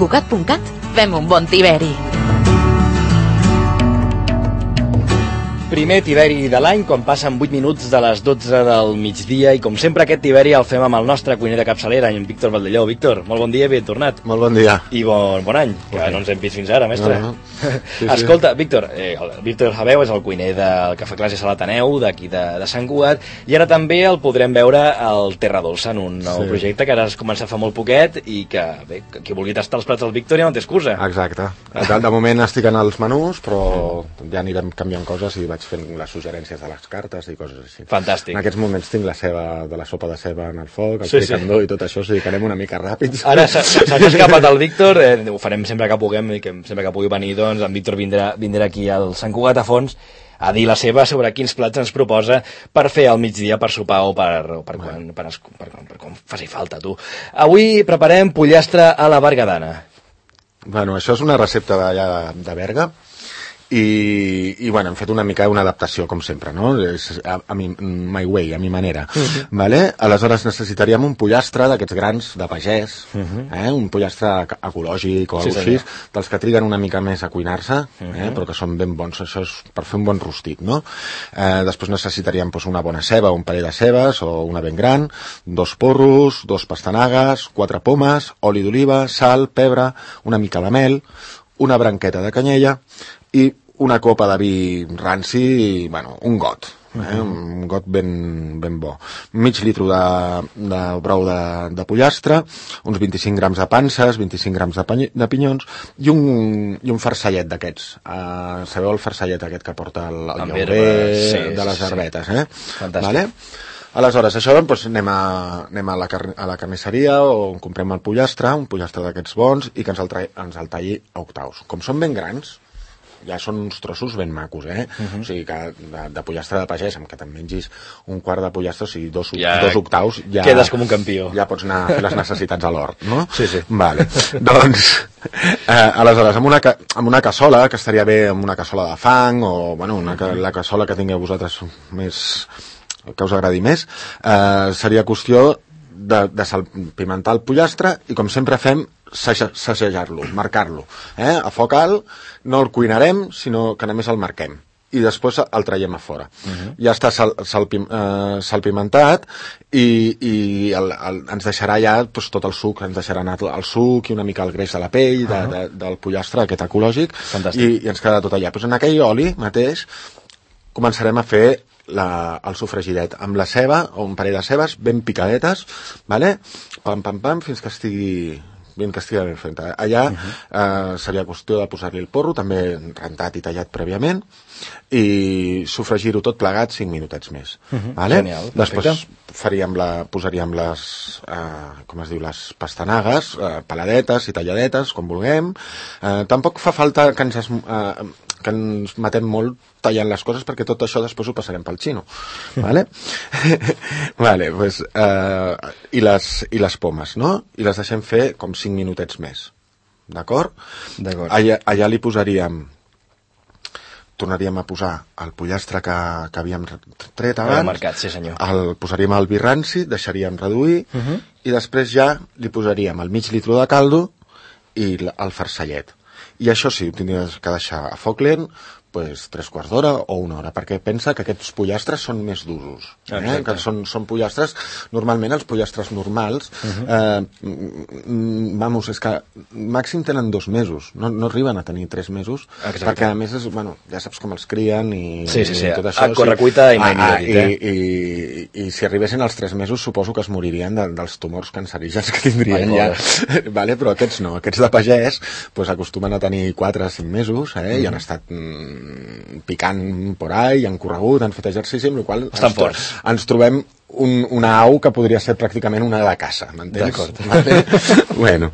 Cugat.cat fem un bon tiberi. Primer tiberi de l'any, quan passen 8 minuts de les 12 del migdia, i com sempre aquest tiberi el fem amb el nostre cuiner de capçalera, en Víctor Valdelló. Víctor, molt bon dia, ben tornat. Molt bon dia. I bon any, que no ens hem vist fins ara, mestre. No. Sí. Escolta, Víctor, Víctor Javeu és el cuiner del Cafè Classes a l'Ateneu, d'aquí de Sant Cugat, i ara també el podrem veure al Terra Dolça, en un nou projecte que ara has començat fa molt poquet i que, bé, qui vulgui tastar els plats del Víctor ja no té excusa. Exacte. De moment estic en els menús, però ja anirem canviant coses i vaig fent les suggerències de les cartes i coses així. Fantàstic. En aquests moments tinc la sopa de ceba en el foc, el fricandó i tot això, o sigui que anem una mica ràpids. Ara s'ha escapat el Víctor, ho farem sempre que puguem, i que sempre que pugui venir, doncs, en Víctor vindrà aquí al Sant Cugat a fons a dir la seva sobre quins plats ens proposa per fer al migdia, per sopar o per quan faci falta, tu. Avui preparem pollastre a la bergadana. Bueno, això és una recepta de Berga, i bueno, hem fet una mica una adaptació, com sempre, no? My way, a mi manera. Vale? Aleshores necessitaríem un pollastre d'aquests grans de pagès, un pollastre ecològic o alguna cosa així, dels que triguen una mica més a cuinar-se, però que són ben bons. Això és per fer un bon rostit, no? Després necessitaríem una bona ceba, un parell de cebes o una ben gran, 2 porros, 2 pastanagues, 4 pomes, oli d'oliva, sal, pebre, una mica de mel, una branqueta de canyella i una copa de vi ranci, bueno, un got, un got ben bo. Mig litre de brou de pollastre, uns 25 grams de panses, 25 grams de pinyons i un farcellet d'aquests. Sabeu el farcellet aquest que porta el llaurer de les herbetes, Fantàstic. Vale? Aleshores, això, doncs, anem a la carnisseria on comprem el pollastre, un pollastre d'aquests bons, i que ens el talli a octaus. Com són ben grans, ja són uns trossos ben macos, o sigui que de pollastre de pagès, amb que te'n mengis un quart de pollastre, o sigui, dos octaus, ja quedes com un campió. Ja pots anar a fer les necessitats a l'hort, no? Sí. Vale. Doncs, aleshores, amb una cassola, que estaria bé amb una cassola de fang, o, bueno, la cassola que tingueu vosaltres més, que us agradi més, seria qüestió de salpimentar el pollastre i, com sempre fem, sacsejar-lo, marcar-lo. A foc alt no el cuinarem, sinó que només el marquem i després el traiem a fora. Ja està salpimentat i ens deixarà ja tot el suc, ens deixarà anar el suc i una mica el greix de la pell del pollastre aquest ecològic i ens queda tot allà. En aquell oli mateix començarem a fer el sofregidet amb la ceba o un parell de cebes ben picadetes, vale? Pam, fins que estigui ben fet. Allà seria qüestió de posar-li el porro, també rentat i tallat prèviament, i sofregir-ho tot plegat 5 minutets més. Vale? Genial, després posaríem les les pastanagues, peladetes i talladetes, com vulguem. Tampoc fa falta que ens matem molt tallant les coses, perquè tot això després ho passarem pel xino. Vale? Vale, pues, i les pomes, no? I les deixem fer com 5 minutets més. D'acord? Allà li tornaríem a posar el pollastre que havíem tret abans, el posaríem al vi ranci, deixaríem reduir, i després ja li posaríem el mig litre de caldo i el farcellet. I això sí, ho tindries que deixar a foc lent, pues, 3/4 d'hora o 1 hora, perquè pensa que aquests pollastres són més d'usos. Que són pollastres, normalment els pollastres normals, és que màxim tenen 2 mesos, no arriben a tenir 3 mesos, perquè a més ja saps com els crien i tot això. A correcuita i mai i si arribessin als 3 mesos suposo que es moririen dels tumors cancerígens que tindrien ja. Vale? Però aquests no, aquests de pagès acostumen a tenir 4 o 5 mesos i han estat picant por ahí, han corregut, han fet exercici, amb la qual cosa ens trobem una au que podria ser pràcticament una de caça, m'entens? D'acord. Vale? Bueno,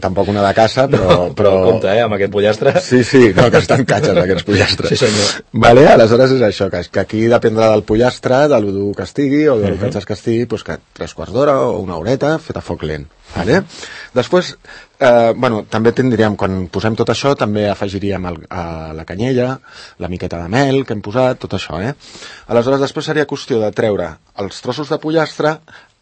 tampoc una de caça, però compte, amb aquest pollastre. Sí, no, que estan catxes aquests pollastres. Sí, senyor. Vale? Aleshores és això, que aquí dependrà del pollastre, de lo dur que estigui o del catxes que estigui, que 3/4 d'hora o 1 horeta fet a foc lent. Vale? Després, també tindríem, quan posem tot això, també afegiríem la canyella, la miqueta de mel que hem posat, tot això, Aleshores, després seria qüestió de treure els trossos de pollastre,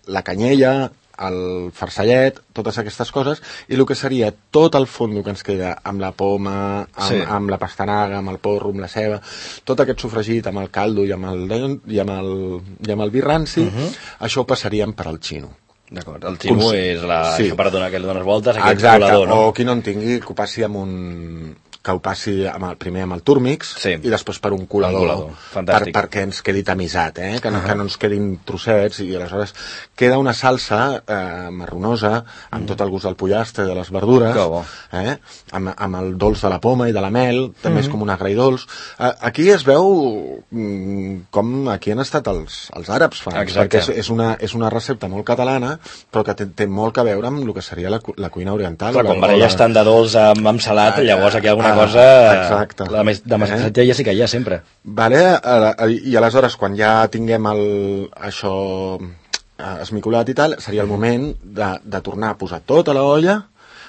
la canyella, el farcellet, totes aquestes coses, i el que seria tot el fondo que ens queda amb la poma, amb la pastanaga, amb el porro, amb la ceba, tot aquest sofregit amb el caldo i amb el vi ranci, això ho passaríem per al xino. D'acord, el ximo és això per donar que li dones voltes, aquest colador, no? O qui no en tingui, que ho passi que ho passi primer amb el túrmix i després per un colador perquè ens quedi tamisat, que no ens quedin trossets, i aleshores queda una salsa marronosa amb tot el gust del pollastre i de les verdures, amb el dolç de la poma i de la mel, també és com un agridolç. Aquí es veu com aquí han estat els àrabs, perquè és una recepta molt catalana però que té molt a veure amb el que seria la cuina oriental. Clar, quan baralles tant de dolç amb salat, llavors aquí hi ha alguna cosa de massatge ja sí que hi ha sempre. I aleshores quan ja tinguem això esmicolat i tal, seria el moment de tornar a posar tot a l'olla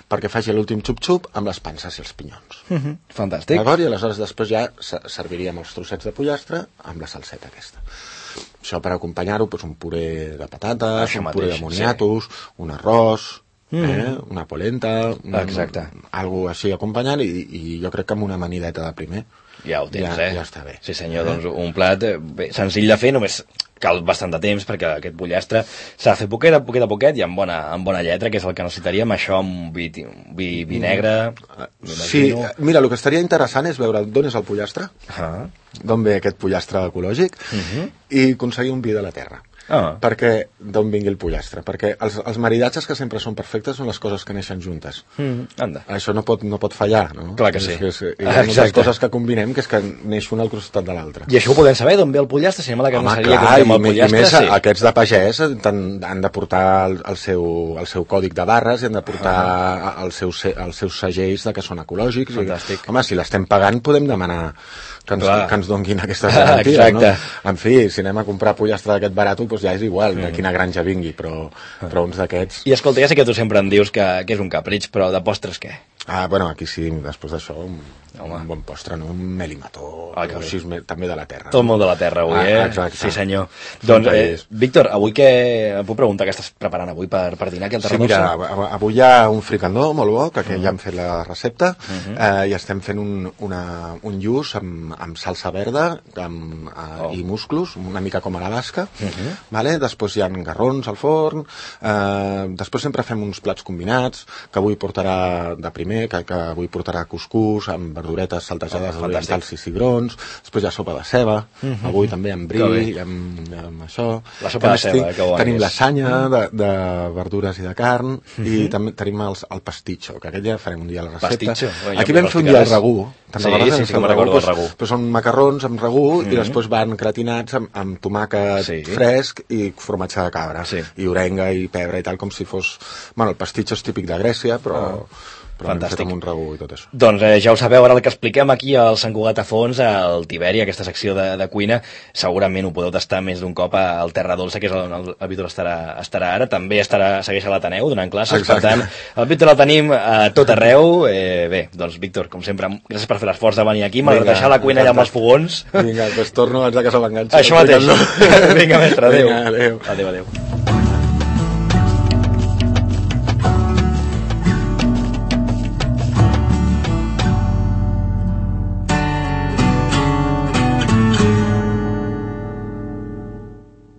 perquè faci l'últim xup-xup amb les panses i els pinyons. Fantàstic. I aleshores després ja serviríem els trossets de pollastre amb la salseta aquesta. Això per acompanyar-ho, un puré de patates, un puré de moniatos, un arròs, una polenta, algo així acompanyant, i jo crec que amb una amanideta de primer ja ho tens, ja està bé. Sí senyor, doncs un plat senzill de fer, només cal bastant de temps perquè aquest pollastre s'ha de fer poquet a poquet i amb bona lletra, que és el que necessitaríem, això amb vi negre. Sí, mira, el que estaria interessant és veure d'on és el pollastre, d'on ve aquest pollastre ecològic, i aconseguir un vi de la terra. Perquè d'on vingui el pollastre, perquè els maridatges que sempre són perfectes són les coses que neixen juntes. Això no pot fallar, no? Clar que sí. Hi ha moltes coses que combinem que és que neix una al costat de l'altra. I això ho podem saber, d'on ve el pollastre? Si anem a la carnisseria que fem el pollastre, i més aquests de pagès han de portar el seu còdic de barres i han de portar els seus segells que són ecològics. Fantàstic. Home, si l'estem pagant podem demanar que ens donguin aquestes garanties, no? En fi, si anem a comprar pollastre d'aquest barat, doncs ja és igual de quina granja vingui, però uns d'aquests... I escolta, ja sé que tu sempre em dius que és un capritx, però de postres què? Bueno, aquí sí, després d'això, un bon postre, no? Un melimató, així, també de la terra. Tot molt de la terra avui, Exacte. Sí, senyor. Doncs, Víctor, avui què... Em puc preguntar què estàs preparant avui per dinar aquí al Terra Dolça? Sí, mira, avui hi ha un fricandó molt bo, que ja hem fet la recepta, i estem fent un lluç amb salsa verda i musclos, una mica com a la basca, després hi ha garrons al forn, després sempre fem uns plats combinats, que avui portarà de primer, que avui portarà cuscús amb verduretes saltejades orientals i cigrons, després hi ha sopa de ceba, avui també amb bri, amb això. La sopa de ceba, que bona. Tenim lasanya de verdures i de carn, i també tenim el pastitxo, que aquest ja farem un dia a la recepta. Aquí vam fer un dia el ragú. Sí, me'n recordo del ragú. Però són macarrons amb ragú i després van gratinats amb tomàquet fresc i formatge de cabra, i orenga i pebre i tal, com si fos... Bueno, el pastitxo és típic de Grècia, però hem fet amb un ragú i tot això. Doncs ja ho sabeu, ara el que expliquem aquí al Sant Cugat a Fons, al Tiberi, aquesta secció de cuina, segurament ho podeu tastar més d'un cop al Terra Dolça, que és on el Víctor estarà ara. També segueix a l'Ateneu donant classes. Per tant, el Víctor el tenim a tot arreu. Bé, doncs Víctor, com sempre, gràcies per fer l'esforç de venir aquí, malgrat deixar la cuina allà amb els fogons. Vinga, doncs torno abans que se l'enganxi. Això mateix. Vinga, mestre, adéu. Adéu.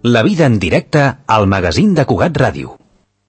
La vida en directe al magazín de Cugat Ràdio.